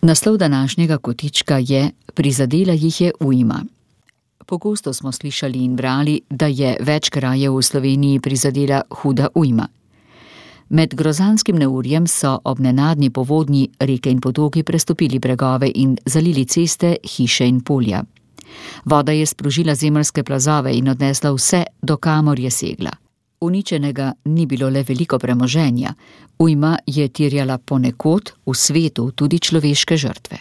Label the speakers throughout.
Speaker 1: Naslov današnjega kotička je Prizadela jih je ujma. Pogosto smo slišali in brali, da je več krajev v Sloveniji prizadela huda ujma. Med grozanskim neurjem so ob nenadni povodnji reke in potoki prestopili bregove in zalili ceste, hiše in polja. Voda je sprožila zemeljske plazove in odnesla vse, do kamor je segla. Uničenega ni bilo le veliko premoženja, ujma je terjala ponekod v svetu tudi človeške žrtve.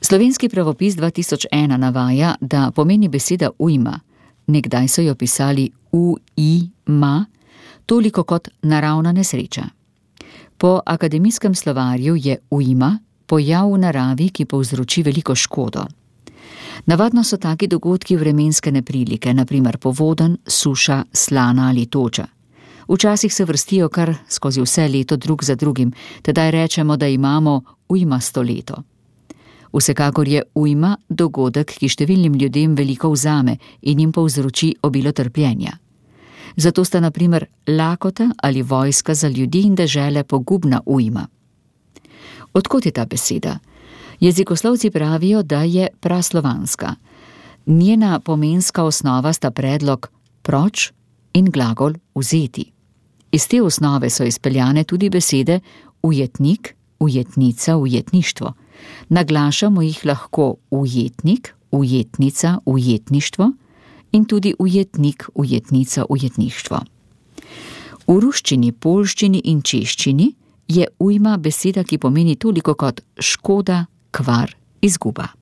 Speaker 1: Slovenski pravopis 2001 navaja, da pomeni beseda ujma, nekdaj so jo pisali u-i-ma, toliko kot naravna nesreča. Po akademijskem slovarju je ujma pojav v naravi, ki povzroči veliko škodo. Navadno so taki dogodki vremenske neprilike, na primer povodenj, suša, slana ali toča. Včasih se vrstijo kar skozi vse leto drug za drugim, tedaj rečemo, da imamo ujmasto leto. Vsekakor je ujma dogodek, ki številnim ljudem veliko vzame in jim povzroči obilo trpljenja. Zato sta na primer lakota ali vojska za ljudi in dežele pogubna ujma. Odkot je ta beseda? Jezikoslovci pravijo, da je praslovanska. Njena pomenska osnova sta predlog proč in glagol vzeti. Iz te osnove so izpeljane tudi besede ujetnik, ujetnica, ujetništvo. Naglašamo jih lahko ujetnik, ujetnica, ujetništvo in tudi ujetnik, ujetnica, ujetništvo. V ruščini, poljščini in češčini je ujma beseda, ki pomeni toliko kot škoda, kvar, izguba.